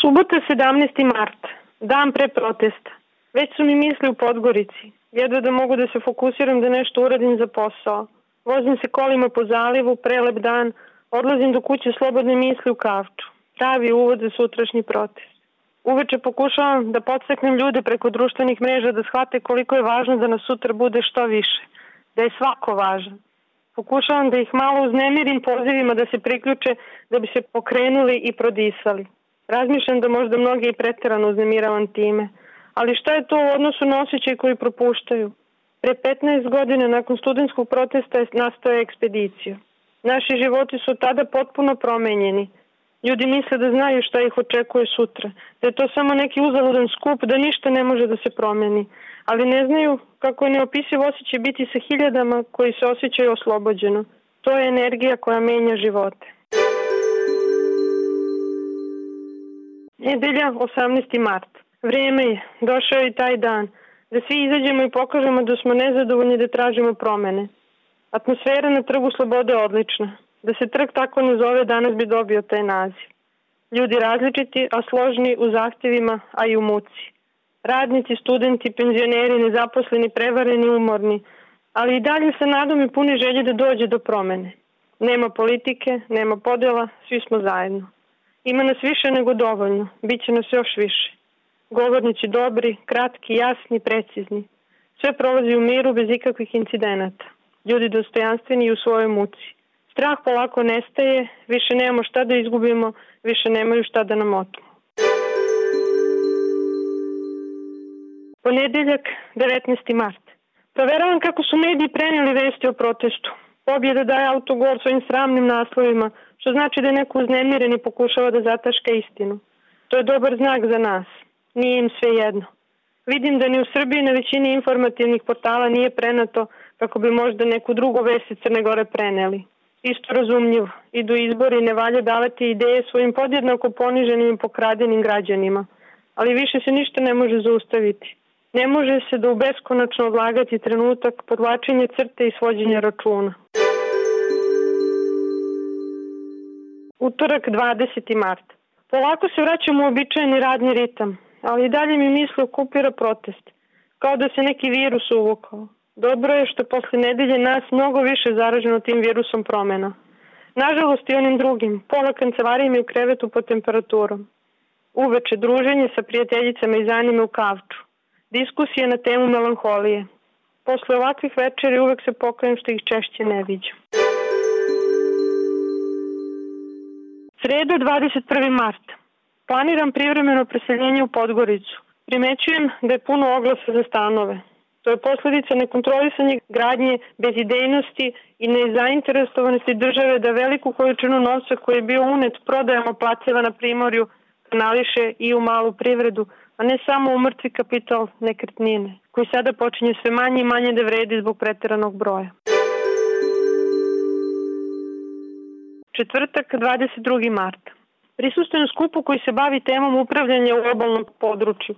Subota 17. mart, dan pre protesta. Već su mi misli u Podgorici. Jedva da mogu da se fokusiram da nešto uradim za posao. Vozim se kolima po zalivu, prelep dan, odlazim do kuće slobodne misli u Kavču. Pravi uvod za sutrašnji protest. Uveče pokušavam da podstaknem ljude preko društvenih mreža da shvate koliko je važno da nas sutra bude što više. Da je svako važan. Pokušavam da ih malo uznemirim pozivima da se priključe da bi se pokrenuli i prodisali. Razmišljam da možda mnogi i preterano uznemiravam time. Ali šta je to u odnosu na osjećaj koji propuštaju? Pre 15 godina nakon studentskog protesta je nastao ekspedicija. Naši životi su tada potpuno promenjeni. Ljudi misle da znaju šta ih očekuje sutra, da je to samo neki uzaludan skup, da ništa ne može da se promeni. Ali ne znaju kako je neopisiv osjećaj biti sa hiljadama koji se osjećaju oslobođeno. To je energija koja menja živote. Nedelja, 18. mart. Vreme je, došao je i taj dan, da svi izađemo i pokažemo da smo nezadovoljni da tražimo promene. Atmosfera na Trgu Slobode je odlična. Da se trg tako ne zove, danas bi dobio taj naziv. Ljudi različiti, a složni u zahtjevima, a i u muci. Radnici, studenti, penzioneri, nezaposleni, prevareni, umorni, ali i dalje sa nadom i puni želje da dođe do promene. Nema politike, nema podela, svi smo zajedno. Ima nas više nego dovoljno, bit će nas još više. Govornici dobri, kratki, jasni, precizni. Sve prolazi u miru bez ikakvih incidenata. Ljudi dostojanstveni i u svojoj muci. Strah polako nestaje, više nemamo šta da izgubimo, više nemaju šta da nam otmu. Ponedeljak, 19. mart. Proveravam kako su mediji prenijeli vesti o protestu. Pobjeda daje autogol svojim sramnim naslovima, što znači da je neko uznemiren i pokušava da zataška istinu. To je dobar znak za nas. Nije im sve jedno. Vidim da ni u Srbiji na većini informativnih portala nije prenato kako bi možda neku drugu vest iz Crne Gore preneli. Isto razumljivo. Idu izbori i ne valja davati ideje svojim podjednako poniženim i pokradenim građanima. Ali više se ništa ne može zaustaviti. Ne može se da u beskonačno odlagati trenutak podvlačenja crte i svođenja računa. Utorak, 20. mart. Polako se vraćamo u običajni radni ritam, ali i dalje mi misli okupira protest. Kao da se neki virus uvukao. Dobro je što posle nedelje nas mnogo više zaraženo tim virusom promena. Nažalost i onim drugim, pola kancelarije mi u krevetu pod temperaturom. Uveče druženje sa prijateljicama iz anime u Kavču. Diskusije na temu melanholije. Posle ovakvih večeri uvek se pokajem što ih češće ne viđam. Sreda, 21. mart. Planiram privremeno preseljenje u Podgoricu. Primećujem da je puno oglasa za stanove. To je posledica nekontrolisanje gradnje, bezidejnosti i nezainteresovanosti države da veliku količinu novca koji je bio unet prodajama placeva na primorju kanališe i u malu privredu, a ne samo u mrtvi kapital nekretnine, koji sada počinje sve manje i manje da vredi zbog preteranog broja. Četvrtak, 22. mart. Prisustvujem skupu koji se bavi temom upravljanja u obalnom području.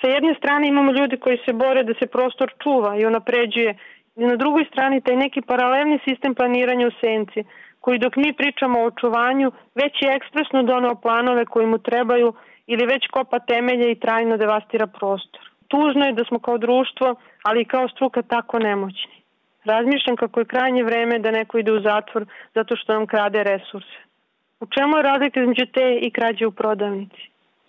Sa jedne strane imamo ljudi koji se bore da se prostor čuva i unapređuje, i na drugoj strani taj neki paralelni sistem planiranja u senci, koji dok mi pričamo o očuvanju, već je ekspresno doneo planove koji mu trebaju ili već kopa temelje i trajno devastira prostor. Tužno je da smo kao društvo, ali i kao struka tako nemoćni. Razmišljam kako je krajnje vreme da neko ide u zatvor zato što nam krade resurse. U čemu je razlika između te i krađe u prodavnici?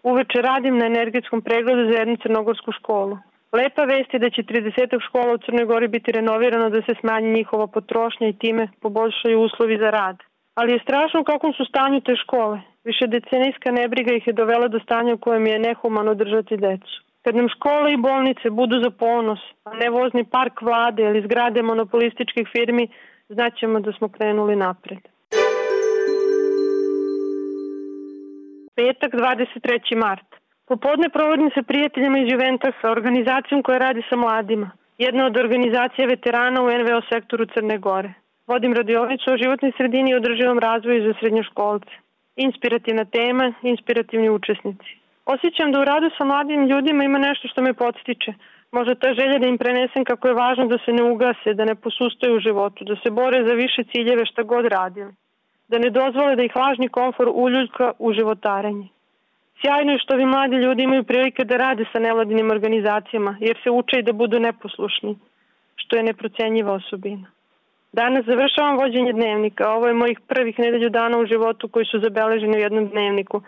Uveče radim na energetskom pregledu za jednu crnogorsku školu. Lepa vest je da će 30 škola u Crnoj Gori biti renovirano da se smanji njihova potrošnja i time poboljšaju uslovi za rad. Ali je strašno u kakvom su stanju te škole. Višedecenijska nebriga ih je dovela do stanja u kojem je nehumano držati decu. Kad nam škole i bolnice budu za ponos, a ne vozni park vlade ili zgrade monopolističkih firmi, znaćemo da smo krenuli napred. Petak, 23. mart. Popodne provodim sa prijateljima iz Juventasa, organizacijom koja radi sa mladima. Jedna od organizacija veterana u NVO sektoru Crne Gore. Vodim radionicu o životnoj sredini i održivom razvoju za srednjoškolce. Inspirativna tema, inspirativni učesnici. Osjećam da u radu sa mladim ljudima ima nešto što me podstiče. Možda ta želja da im prenesem kako je važno da se ne ugase, da ne posustaju u životu, da se bore za više ciljeve šta god radili. Da ne dozvole da ih lažni komfor uljuljka u životarenje. Sjajno je što ovi mladi ljudi imaju prilike da rade sa nevladinim organizacijama, jer se uče i da budu neposlušni, što je neprocenjiva osobina. Danas završavam vođenje dnevnika. Ovo je mojih prvih nedelju dana u životu koji su zabeleženi u jednom dnevniku.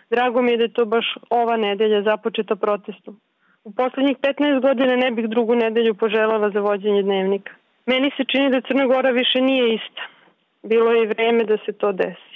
Drago mi je da je to baš ova nedelja započeta protestom. U poslednjih 15 godina ne bih drugu nedelju poželjela za vođenje dnevnika. Meni se čini da Crna Gora više nije ista. Bilo je i vreme da se to desi.